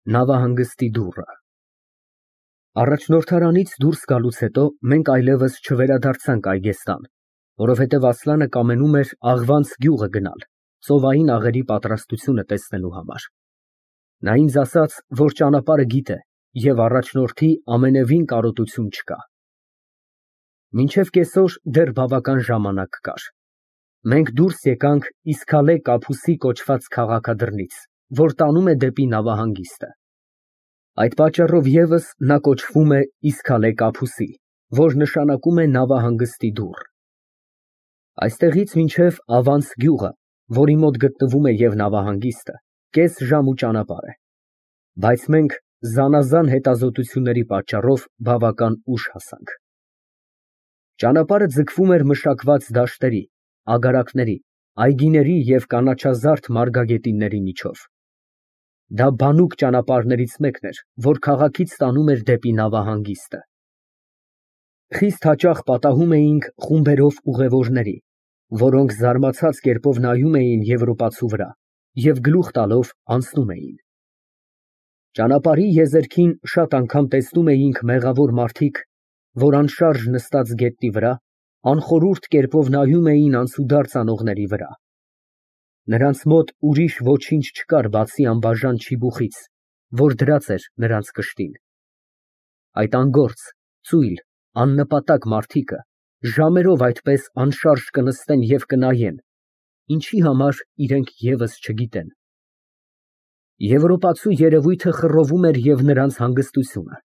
Նավահանգստի դուռը։ Առաջնորդարանից դուրս գալուց հետո մենք այլևս չվերադարձանք Այգեստան, որովհետև Ասլանը կամենում էր Աղվանց գյուղը գնալ, ծովային աղերի պատրաստությունը տեսնելու համար։ Նա ինձ ասաց, որ ճանապարհը գիտե և առաջնորդի ամենևին կարոտություն չկա։ Մինչև կեսօր դեռ բավական ժամանակ կար։ Մենք դուրս եկանք Իսքալե Կափուսի կոչված քաղաքադրնից, որ տանում է դեպի նավահանգիստը։ Այդ պատճառով ևս նա կոչվում է Իսքալե Կափուսի, որ նշանակում է նավահանգստի դուռ։ Այստեղից մինչև Ավանց գյուղը, որի մոտ գտնվում է և նավահանգիստը, կես ժամու ճանապարհ է, բայց մենք զանազան հետազոտությունների պատճառով բավական ուշ հասանք։ Ճանապարհը ձգվում էր մշակված դաշտերի, ագարակների, այգիների և կանաչազարդ մարգագետինների միջով։ Դա բանուկ ճանապարհներից մեկն էր, որ քաղաքից տանում էր դեպի նավահանգիստը։ Խիստ հաճախ պատահում էինք խումբերով ուղևորների, որոնք զարմացած կերպով նայում էին եվրոպացու վրա և գլուխ տալով անցնում էին։ Ճանապարհի եզերքին շատ անգամ տեսնում էինք մեղավոր մարդիկ, որ անշարժ նստած գետնի վրա, անխորհուրդ կերպով նայում էին անցուդարձ անողների վրա։ Նրանց մոտ ուրիշ ոչինչ չկար բացի անբաժան չիբուխից, որ դրած էր նրանց կշտին։ Այդ անգործ, ծույլ, աննպատակ մարդիկը ժամերով այդպես անշարժ կնստեն և կնայեն, ինչի համար իրենք ևս չգիտեն։ Եվրոպացու երևույթը խռովում էր և նրանց հանգստությունը։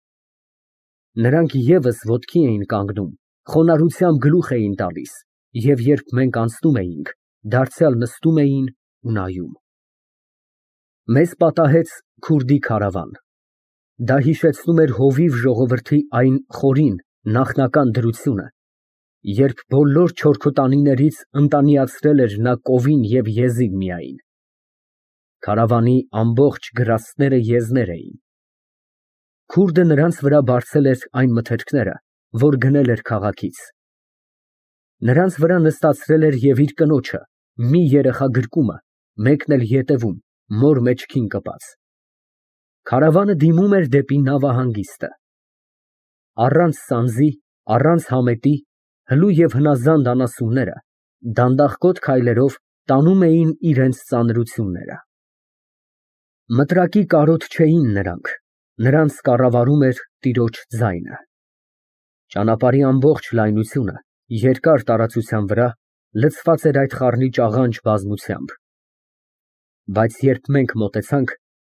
Նրանք ևս ոտքի էին կանգնում, խոնարհությամբ գլուխ էին տալիս և երբ մենք անցնում էինք, դարձյալ նստում էին ու նայում։ Մեզ պատահեց քուրդի քարավան։ Դա հիշեցնում էր հովիվ ժողովրդի այն խորին, նախնական դրությունը, երբ բոլոր չորքոտանիներից ընտանիացրել էր նա կովին և եզիդ միայն։ Քարավանի ամբողջ գրաստները եզներ էին։ Քուրդը նրանց վրա բարձել էր այն մթերքները, որ գնել էր քաղաքից։ Նրանց վրա նստացրել էր և իր կնոջը, մի երեխա գրկումը, մեկն էլ ետևում, մոր մեջքին կպած։ Քարավանը դիմում էր դեպի նավահանգիստը։ Առանց սանձի, առանց համետի, հլու և հնազանդ անասունները դանդաղկոտ քայլերով տանում էին իրենց ծանրությունները։ Մտրակի կարոտ չէին նրանք, նրանց կառավարում էր տիրոջ ձայնը։ Ճանապարհի ամբողջ լայնությունը, երկար տարածության վրա լցված էր այդ խառնիճ աղանջ բազմությամբ։ Բայց երբ մենք մոտեցանք,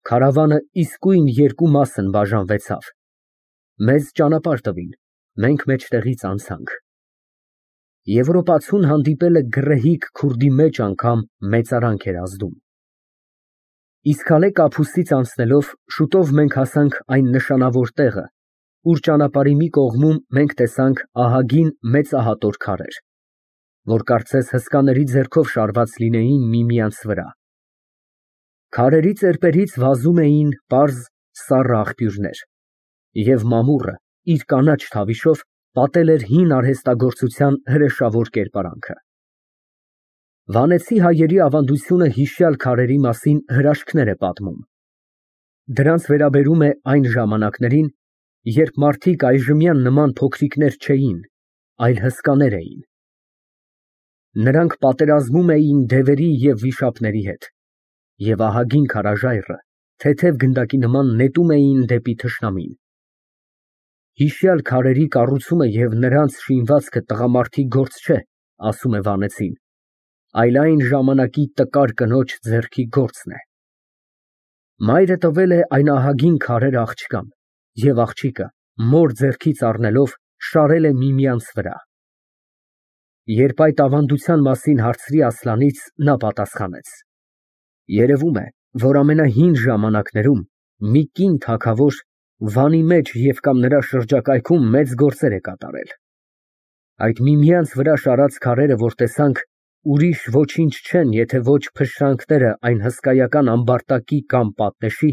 քարավանը իսկույն երկու մասն բաժանվեցավ։ Մեզ ճանապարհ տվին, մենք մեջտեղից անցանք։ Եվրոպացուն հանդիպելը գռեհիկ քուրդի մեջ անգամ մեծարանք էր ազդում։ Իսքալե Կափուսից անցնելով շուտով մենք հասանք այն նշանավոր տեղը, ուր ճանապարհի մի կողմում մենք տեսանք ահագին մեծահատոր քարեր, որ կարծես հսկաների ձեռքով շարված լինեին միմյանց վրա։ Քարերի ծերպերից վազում էին պարզ, սառը աղբյուրներ, և մամուռը իր կանաչ թավիշով պատել էր հին արհեստագործության հրեշավոր կերպարանքը։ Վանեցի հայերի ավանդությունը հիշյալ քարերի մասին հրաշքներ է պատմում։ Դրանց վերաբերում է այն ժամանակներին, երբ մարդիկ այժմյան նման փոքրիկներ չէին, այլ հսկաներ էին։ Նրանք պատերազմում էին դևերի և վիշապների հետ, և ահագին քարաժայռը թեթև գնդակի նման նետում էին դեպի թշնամին։ Հիշյալ քարերի կառուցումը և նրանց շինվածքը տղամարդի գործ չէ, ասում է վանեցին, այլ այն ժամանակի տկար կնոջ ձեռքի գործն է։ Մայրը տվել է այն ահագին քարեր աղջկան, և աղջիկը, մոր ձեռքից առնելով, շարել է միմյանց վրա։ Երբ այդ ավանդության մասին հարցրի Ասլանից, նա պատասխանեց. երևում է, որ ամենահին ժամանակներում մի կին թագավոր Վանի մեջ և կամ նրա շրջակայքում մեծ գործեր է կատարել։ Այդ միմյանց վրա շարած քարերը, որ տեսանք, ուրիշ ոչինչ չեն, եթե ոչ փշրանքները այն հսկայական ամբարտակի կամ պատնեշի,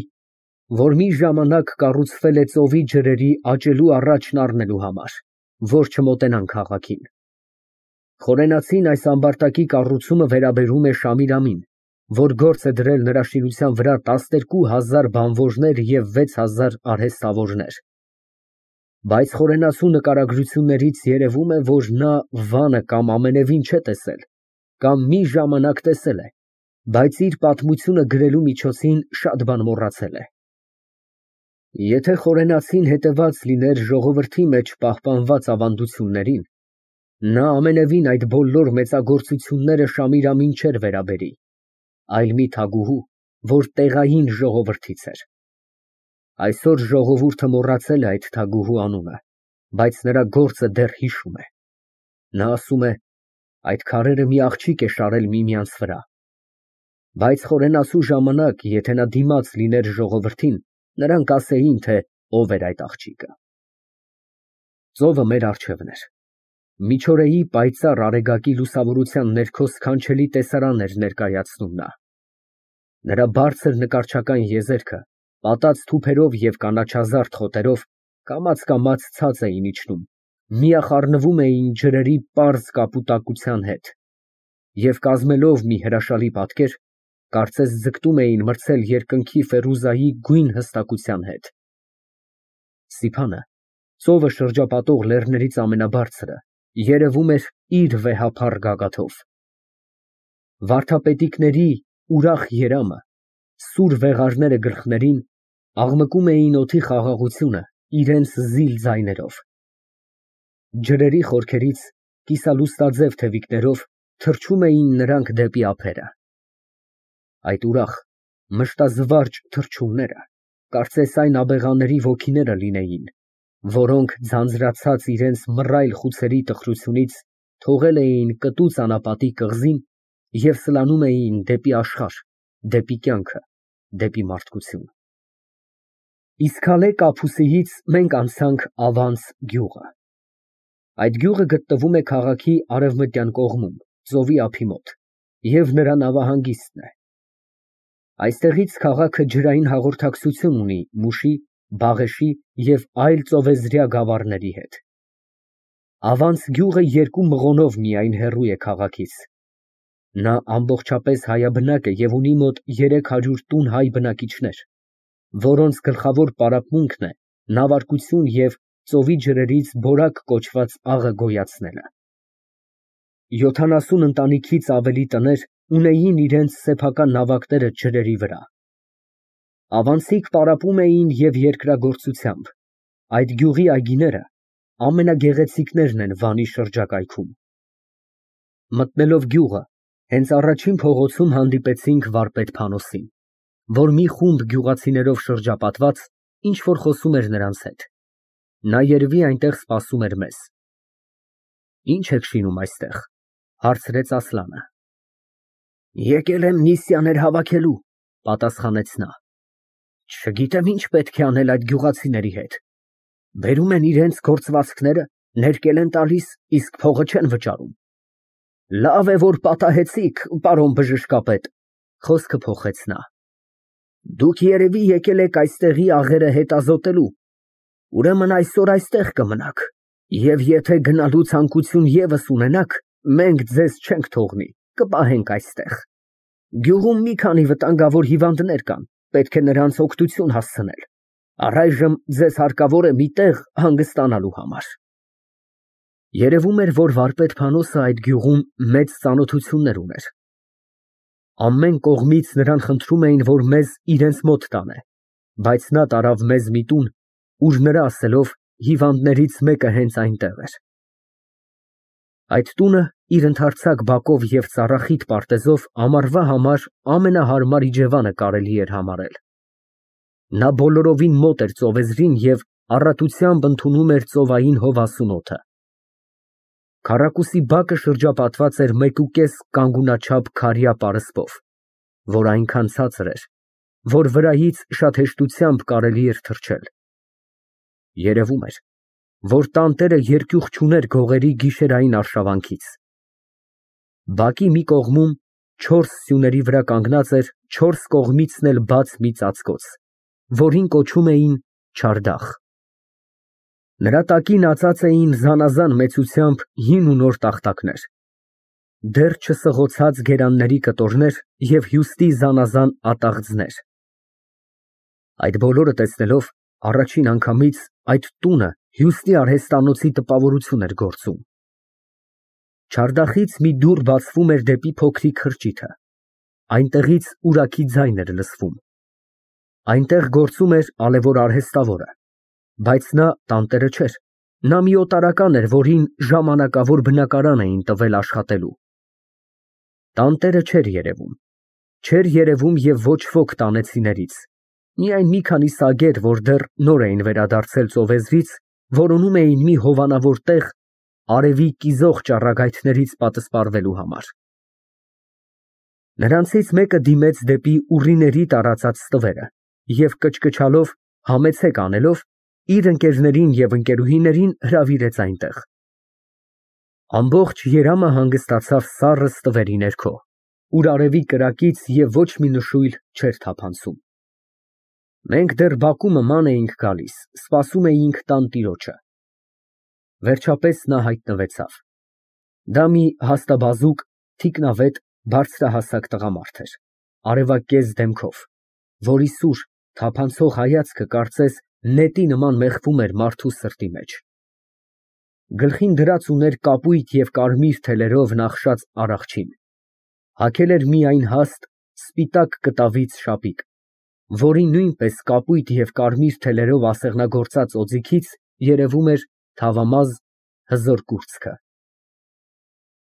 որ մի ժամանակ կառուցվել է ծովի ջրերի աճելու առաջն առնելու համար, որ չմոտենան քաղաքին։ Խորենացին այս ամբարտակի կառուցումը վերաբերում է Շամիրամին, որ գործ է դրել նրա շինության վրա 12,000 բանվորներ և 6,000 արհեստավորներ։ Բայց խորենացու նկարագրություններից երևում է, որ նա վանը կամ ամենևին չէ տեսել, կամ մի ժամանակ տեսել է, բայց իր պատմությունը գրելու միջոցին շատ բան մոռացել է։ Եթե խորենացին հետևած լիներ ժողովրդի մեջ պահպանված ավանդություններին, նա ամենևին այդ բոլոր մեծագործությունները Շամիրամին չէր վերաբերի, այլ մի թագուհու, որ տեղային ժողովրդից էր։ Այսօր ժողովուրդը մոռացել է այդ թագուհու անունը, բայց նրա գործը դեռ հիշում է։ Նա ասում է, այդ քարերը մի աղջիկ է շարել միմյանց վրա։ Բայց խորենացու ժամանակ, եթե նա դիմաց լիներ ժողովրդին, նրանք ասեին, թե ով էր այդ աղջիկը։ Ծովը մեր առջևն էր։ Միջօրեի պայծառ արեգակի լուսավորության ներքո սքանչելի տեսարան էր ներկայացնում նա։ Նրա բարձր նկարչական եզերքը, պատած թուփերով և կանաչազարդ խոտերով, կամաց ցած էին իջնում, միախառնվում էին ջրերի պարզ կապուտակության հետ և կազմելով մի հրաշալի պատկեր, կարծես ձգտում էին մրցել երկնքի Ֆերուզայի գույն հստակության հետ։ Սիփանը, ծովը շրջապատող լեռներից ամենաբարձրը, երևում էր իր վեհափառ գագաթով։ Վարդապետիկների ուրախ երամը, սուր վեղարները գլխներին, աղմկում էին օդի խաղաղությունը իրենց զիլ ձայներով։ Ջրերի խորքերից, կիսալուսնաձև թևիկներով թռչում էին նրանք դեպի ափերը։ Այդ ուրախ, մշտազվարճ թռչունները, կարծես այն աբեղաների ոգիները լինեին, որոնք ձանձրացած իրենց մռայլ խուցերի տխրությունից թողել էին կտու ճանապատի կղզին և սլանում էին դեպի աշխարհ, դեպի կյանքը, դեպի մարդկություն։ Իսկալե Կապուսիից մենք անցանք Ավանց գյուղը։ Այդ գյուղը գտնվում է քաղաքի արևմտյան կողմում, ծովի ափի մոտ, և նրա նավահանգիստն է։ Այստեղից քաղաքը ջրային հաղորդակցություն ունի Մուշի, Բաղեշի և այլ ծովեզրյա գավառների հետ։ Ավանց գյուղը 2 մղոնով միայն հեռու է քաղաքից։ Նա ամբողջապես հայաբնակ է և ունի մոտ 300 տուն հայ բնակիչներ, որոնց գլխավոր պարապմունքն է նավարկություն և ծովի ջրերից բորակ կոչված աղը գոյացնելը։ 70 ընտանիքից ավելի տներ ունեին իրենց սեփական նավակները ջրերի վրա։ Ավանցիք պարապում էին և երկրագործությամբ, այդ գյուղի այգիները ամենագեղեցիկներն են Վանի շրջակայքում։ Մտնելով գյուղը, հենց առաջին փողոցում հանդիպեցինք վարպետ Փանոսին, որ մի խումբ գյուղացիներով շրջապատված ինչ֊որ խոսում էր նրանց հետ։ Նա երևի այնտեղ սպասում էր մեզ։ Ի՞նչ եք շինում այստեղ, հարցրեց Ասլանը։ Եկել եմ նիսյաներ հավաքելու, պատասխանեց նա։ Չգիտեմ ինչ պետք է անել այդ գյուղացիների հետ։ Բերում են իրենց գործվածքները, ներկել են տալիս, իսկ փողը չեն վճարում։ Լավ է, որ պատահեցիք, պարոն բժշկապետ, խոսքը փոխեց նա։ Դուք երևի եկել եք այստեղի աղերը հետազոտելու, ուրեմն այսօր այստեղ կմնաք, և եթե գնալու ցանկություն ևս ունենաք, մենք ձեզ չենք թողնի, կպահենք այստեղ։ Գյուղում մի քանի վտանգավոր հիվանդներ կան, պետք է նրանց օգնություն հասցնել։ Առայժմ ձեզ հարկավոր է մի տեղ հանգստանալու համար։ Երևում էր, որ վարպետ Փանոսը այդ գյուղում մեծ ծանոթություններ ուներ։ Ամեն կողմից նրան խնդրում էին, որ մեզ իրենց մոտ տանե, բայց նա տարավ մեզ մի տուն, ուր նրա ասելով հիվանդներից մեկը հենց այնտեղ էր։ Այդ տունը իր ընդարձակ բակով և ծառախիտ պարտեզով ամառվա համար ամենահարմար իջևանը կարելի էր համարել։ Նա բոլորովին մոտ էր ծովեզրին և առատությամբ ընդունում էր ծովային հովասուն օդը։ Քառակուսի բակը շրջապատված էր 1.5 կանգունաչափ քարյա պարսպով, որ այնքան ցածր էր, որ վրայից շատ հեշտությամբ կարելի էր թռչել։ Երևում էր, որ տանտերը երկյուղ չուներ գողերի գիշերային արշավանքից։ Բակի մի կողմում 4 սյուների վրա կանգնած էր 4 կողմիցն էլ բաց մի ծածկոց, որին կոչում էին չարդախ։ Նրա տակին ածած էին զանազան մեծությամբ հին ու նոր տախտակներ։ դեռ չսղոցած գերանների կտորներ և հյուստի զանազան ատաղձներ։ Այդ բոլորը տեսնելով, առաջին անգամից այդ տունը հյուստի արհեստանոցի տպավորություն էր գործում։ Չարդախից մի դուռ բացվում էր դեպի փոքրիկ խրճիթը, այնտեղից ուրախի ձայն էր լսվում։ Այնտեղ գործում էր ալեւոր արհեստավորը, բայց նա տանտերը չէր, նա մի օտարական էր, որին ժամանակավոր բնակարան էին տվել աշխատելու։ Տանտերը չէր երևում, չէր երևում և ոչ ոք տանեցիներից, միայն մի քանի սագեր, որ դեռ նոր էին վերադարձել ծովեզրից, որոնում էին մի հովանավոր տեղ արևի կիզող ճառագայթներից պատսպարվելու համար։ Նրանցից մեկը դիմեց դեպի ուռիների տարածած ստվերը և կչկչալով, համեցեք անելով, իր ընկերներին և ընկերուհիներին հրավիրեց այնտեղ։ Ամբողջ երամը հանգստացավ սառը ստվերի ներքո, ուր արևի կրակից և ոչ մի նշույլ չէր թափանցում։ Մենք դեռ բակումը ման էինք գալիս, սպասում էինք տանտիրոջը։ Վերջապես նա հայտնվեցավ։ Դա մի հաստաբազուկ, թիկնավետ, բարձրահասակ տղամարդ էր, արևակեզ դեմքով, որի սուր, թափանցող հայացքը կարծես նետի նման մեխվում էր մարդու սրտի մեջ։ Գլխին դրած ուներ կապույտ և կարմիր թելերով նախշած առախչին, հագել էր միայն հաստ, սպիտակ կտավից շապիկ, որի նույնպես կապույտ և կարմիր թելերով ասեղնագործած օձիքից երևում էր թավամազ, հզոր կուրծքը։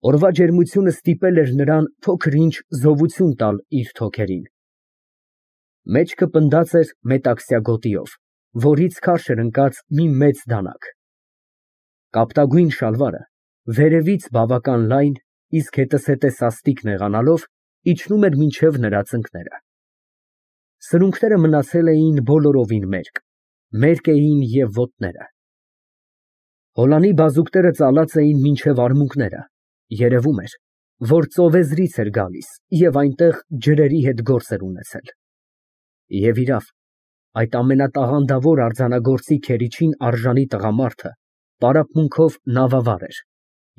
Օրվա ջերմությունը ստիպել էր նրան փոքր-ինչ զովություն տալ իր թոքերին։ Մեջքը պնդած էր մետաքսյա գոտիով, որից քարշ էր ընկած մի մեծ դանակ։ Կապտագույն շալվարը, վերևից բավական լայն, իսկ հետզհետե սաստիկ նեղանալով, իջնում էր մինչև նրա ծնկները։ Սրունքները մնացել էին բոլորովին մերկ էին և ոտները։ Հոլանի բազուկները ծալած էին մինչև արմունկները, երևում էր, որ ծովեզրից էր գալիս և այնտեղ ջրերի հետ գործ էր ունեցել։ Եվ իրավ, այդ ամենատաղանդավոր արձանագործի քերիչին արժանի տղամարդը պարապմունքով նավավար էր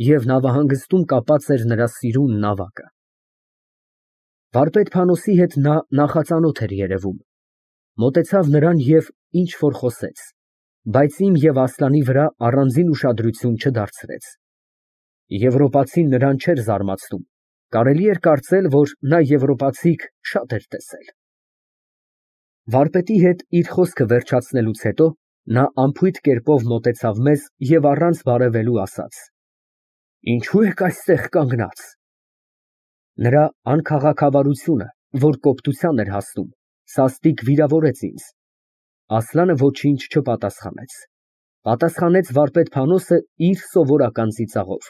և նավահանգստում կապած էր նրա սիրուն նավակը։ Վարպետ Փանոսի հետ նա նախածանոթ էր երևում, մոտեցավ նրան և ինչ֊որ խոսեց, բայց իմ և Ասլանի վրա առանձին ուշադրություն չդարձրեց։ Եվրոպացին նրան չէր զարմացնում, կարելի էր կարծել, որ նա եվրոպացիք շատ էր տեսել։ Վարպետի հետ իր խոսքը վերջացնելուց հետո նա անփույթ կերպով մոտեցավ մեզ և առանց բարևելու ասաց. «Ինչո՞ւ եք այստեղ կանգնած»։ Նրա անքաղաքավարությունը, որ կոպտության էր հասնում, սաստիկ վիրավորեց ինձ։ Ասլանը ոչինչ չպատասխանեց։ Պատասխանեց վարպետ Փանոսը իր սովորական ծիծաղով.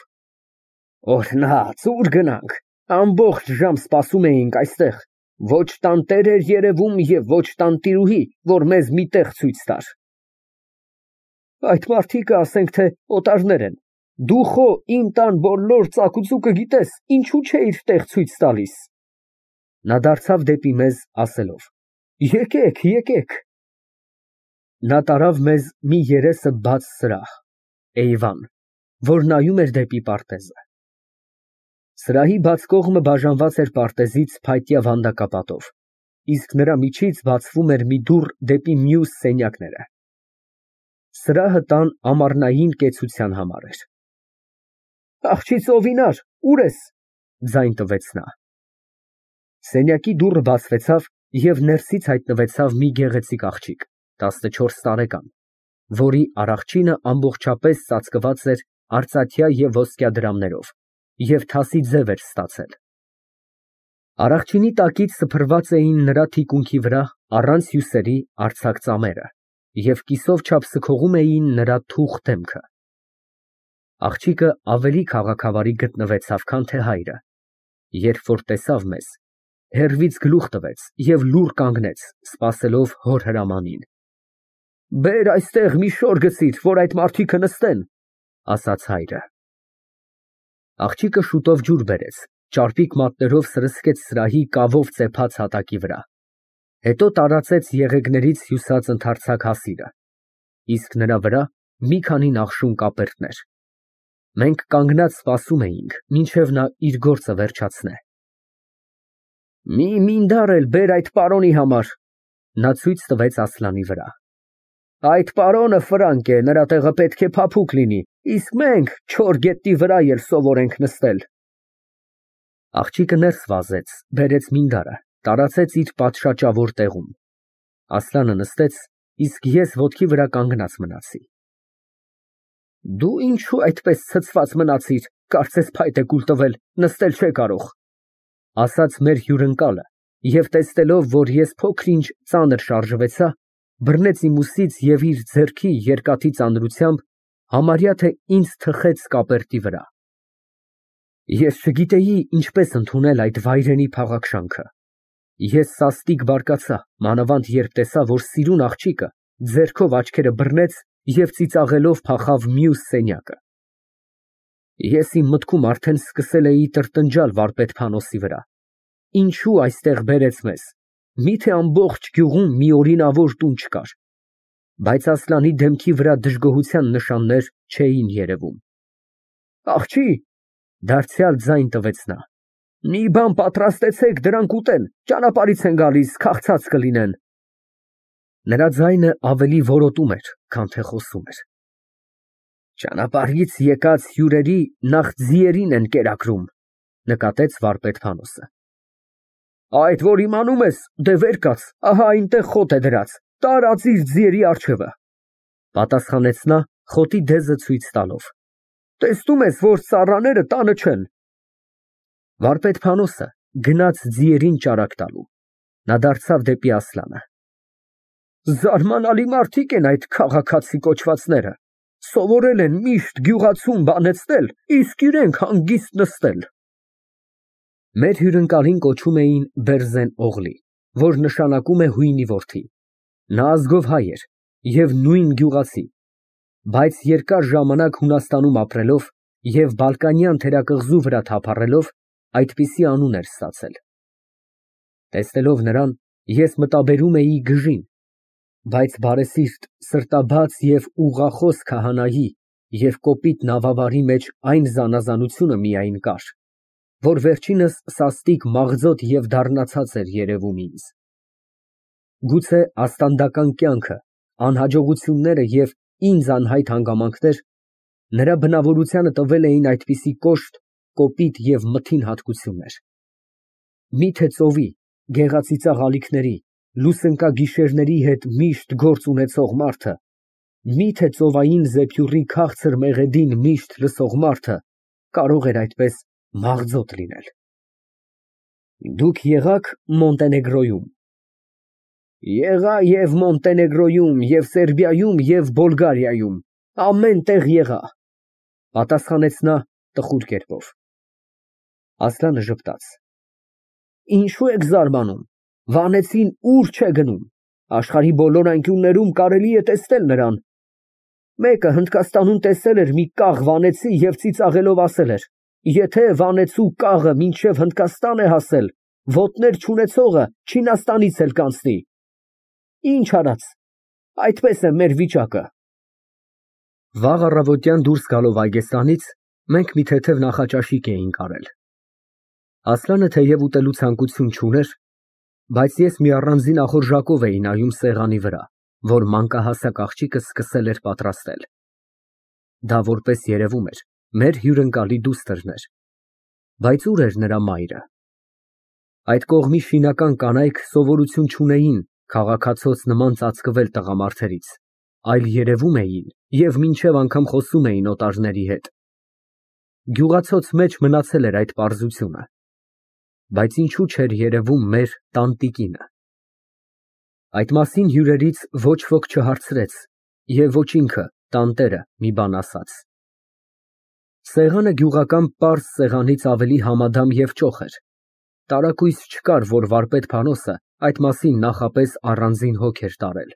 Օրհնած, ուր գնանք, ամբողջ ժամ սպասում էինք այստեղ, ոչ տանտեր էր երևում և ոչ տանտիրուհի, որ մեզ մի տեղ ցույց տար։ Այդ մարդիկը ասենք թե օտարներ են, դու խո իմ տան բոլոր ծակուցուկը գիտես, ինչու չէիր տեղ ցույց տալիս։ Նա դարձավ դեպի մեզ ասելով. Եկեք։ Նա տարավ մեզ մի երեսը բաց սրահ, էյվան, որ նայում էր դեպի պարտեզը։ Սրահի բաց կողմը բաժանված էր պարտեզից փայտյա վանդակապատով, իսկ նրա միջից բացվում էր մի դուռ դեպի մյուս սենյակները։ Սրահը տան ամառնային կեցության համար էր։ Աղջի ծովինար, ուր ես, ձայն տվեց նա։ Սենյակի դուռը բացվեցավ և ներսից հայտնվեցավ մի գեղեցիկ աղջիկ, 14 տարեկան, որի առախչինը ամբողջապես ծածկված էր արծաթյա և ոսկյա դրամներով և թասի ձև էր ստացել։ Առախչինի տակից սփռված էին նրա թիկունքի վրա առանց հյուսերի արձակ ծամերը և կիսով չափ սքողում էին նրա թուխ դեմքը։ Աղջիկը ավելի քաղաքավարի գտնվեցավ, քան թե հայրը, երբ որ տեսավ մեզ, հեռվից գլուխ տվեց և լուռ կանգնեց, սպասելով հոր հրամանին։ Բեր այստեղ մի շոր գցիր, որ այդ մարդիկը նստեն, ասաց հայրը։ Աղջիկը շուտով ջուր բերեց, ճարպիկ մատներով սրսկեց սրահի կավով ծեփած հատակի վրա, հետո տարածեց եղեգներից հյուսած ընդարձակ հասիրը, իսկ նրա վրա մի քանի նախշուն կապերտներ։ Մենք կանգնած սպասում էինք, մինչև նա իր գործը վերջացնե։ Մի մինդար էլ բեր այդ պարոնի համար, նա ցույց տվեց Ասլանի վրա։ Այդ պարոնը ֆրանկ է, նրա տեղը պետք է փափուկ լինի, իսկ մենք չոր գետնի վրա էլ սովորենք նստել։ Աղջիկը ներս վազեց, բերեց մինդարը, տարածեց իր պատշաճավոր տեղում։ Ասլանը նստեց, իսկ ես ոտքի վրա կանգնած մնացի։ Դու ինչու այդպես ցցված մնացիր, կարծես փայտ է կուլ տվել, նստել չէ կարող, ասաց մեր հյուրընկալը, և տեսնելով, որ ես փոքր-ինչ ծանր շարժվեցա, բռնեց իմ ուսից և իր ձեռքի երկաթի ծանրությամբ համարյա թե ինձ թխեց կապերտի վրա։ Ես չգիտեի ինչպես ընդունել այդ վայրենի փաղաքշանքը։ Ես սաստիկ բարկացա, մանավանդ երբ տեսա, որ սիրուն աղջիկը ձեռքով աչքերը բռնեց և ծիծաղելով փախավ մյուս սենյակը։ Ես իմ մտքում արդեն սկսել էի տրտնջալ վարպետ Փանոսի վրա։ Ինչու այստեղ բերեց մեզ։ Միթե ամբողջ գյուղում մի օրինավոր տուն չկար։ Բայց Ասլանի դեմքի վրա դժգոհության նշաններ չէին երևում։ Աղջի, դարձյալ ձայն տվեց նա։ Մի բան պատրաստեցեք, դրանք ուտեն, ճանապարհից են գալիս, քաղցած կլինեն։ Նրա ձայնը ավելի որոտում էր, քան թե խոսում էր։ Ճանապարհից եկած հյուրերի նախ ձիերին են կերակրում, նկատեց վարպետ Փանոսը։ Այդ որ իմանում ես, դե վեր կաց, ահա այնտեղ խոտ է դրած, տարածիր ձիերի առջևը, պատասխանեց նա խոտի դեզը ցույց տալով։ Տեսնում ես, որ ծառաները տանը չեն։ Վարպետ Փանոսը գնաց ձիերին ճարակ տալու։ Նա դարձավ դեպի Ասլանը։ Զարմանալի մարդիկ են այդ քաղաքացի կոչվածները, սովորել են միշտ գյուղացուն բանեցնել, իսկ իրենք հանգիստ նստել։ Մեր հյուրընկալին կոչում էին Բերզեն Օղլի, որ նշանակում է հույնի որդի։ Նա ազգով հայ էր և նույն գյուղացի, բայց երկար ժամանակ Հունաստանում ապրելով և բալկանյան թերակղզու վրա թափառելով այդպիսի անուն էր ստացել։ Տեսնելով նրան, ես մտաբերում էի գժին, բայց բարեսիրտ, սրտաբաց և ուղղախոս քահանայի և կոպիտ նավավարի մեջ այն զանազանությունը միայն կար, որ վերջինս սաստիկ մաղձոտ և դառնացած էր երևում ինձ։ Գուցե աստանդական կյանքը, անհաջողությունները և ինձ անհայտ հանգամանքներ նրա բնավորությանը տվել էին այդպիսի կոշտ, կոպիտ և մթին հատկություններ։ Միթե ծովի, գեղածիծաղ ալիքների, լուսնկագիշերների հետ միշտ գործ ունեցող մարդը, միթե ծովային զեփյուռի քաղցր մեղեդին միշտ լսող մարդը կարող էր այդպես մաղձոտ լինել։ Դուք եղա՞ք Մոնտենեգրոյում։ Եղա և Մոնտենեգրոյում, և Սերբիայում, և Բոլգարիայում, ամեն տեղ եղա, պատասխանեց նա տխուր կերպով։ Ասլանը ժպտաց։ Ինչու եք զարմանում, Վանեցին ուր չէ գնում, աշխարհի բոլոր անկյուններում կարելի է տեսնել նրան։ Մեկը Հնդկաստանում տեսել էր մի կաղ վանեցի և ծիծաղելով ասել էր. եթե վանեցու կաղը մինչև Հնդկաստան է հասել, ոտներ չունեցողը Չինաստանից էլ կանցնի։ Ինչ արած, այդպես է մեր վիճակը։ Վաղ առավոտյան դուրս գալով այգեստանից, մենք մի թեթև նախաճաշիկ էինք արել։ Ասլանը թեև ուտելու ցանկություն չուներ, բայց ես մի առանձին ախորժակով էի նայում սեղանի վրա, որ մանկահասակ աղջիկը սկսել էր պատրաստել։ Դա որպես երևում էր, մեր հյուրընկալի դուստրն էր։ Բայց ուր էր նրա մայրը։ Այդ կողմի շինական կանայք սովորություն չունեին քաղաքացոց նման ծածկվել տղամարդերից, այլ երևում էին և մինչև անգամ խոսում էին օտարների հետ։ Գյուղացոց մեջ մնացել էր այդ պարզությունը, բայց ինչու չէր երևում մեր տանտիկինը։ Այդ մասին հյուրերից ոչ ոք չհարցրեց և ոչ ինքը, տանտերը, մի բան ասաց։ Սեղանը գյուղական պարզ սեղանից ավելի համադամ և ճոխ էր։ Տարակույս չկար, որ վարպետ Փանոսը այդ մասին նախապես առանձին հոգ էր տարել։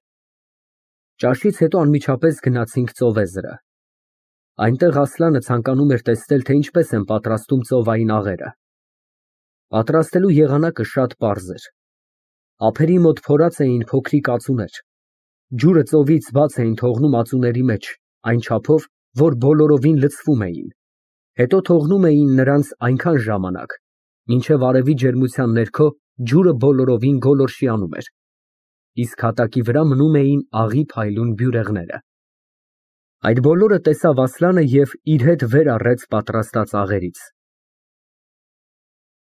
Ճաշից հետո անմիջապես գնացինք ծովեզրը։ Այնտեղ Ասլանը ցանկանում էր տեսնել, թե ինչպես են պատրաստում ծովային աղերը։ Պատրաստելու եղանակը շատ պարզ էր։ Ափերի մոտ փորած էին փոքրիկ ածուներ։ Ջուրը ծովից բաց էին թողնում ածուների մեջ, այն չափով, որ բոլորովին լցվում էին, Հետո թողնում էին նրանց այնքան ժամանակ, մինչև արևի ջերմության ներքո ջուրը բոլորովին գոլորշիանում էր, իսկ հատակի վրա մնում էին աղի փայլուն բյուրեղները։ Այդ բոլորը տեսավ Ասլանը և իր հետ վեր առեց պատրաստած աղերից։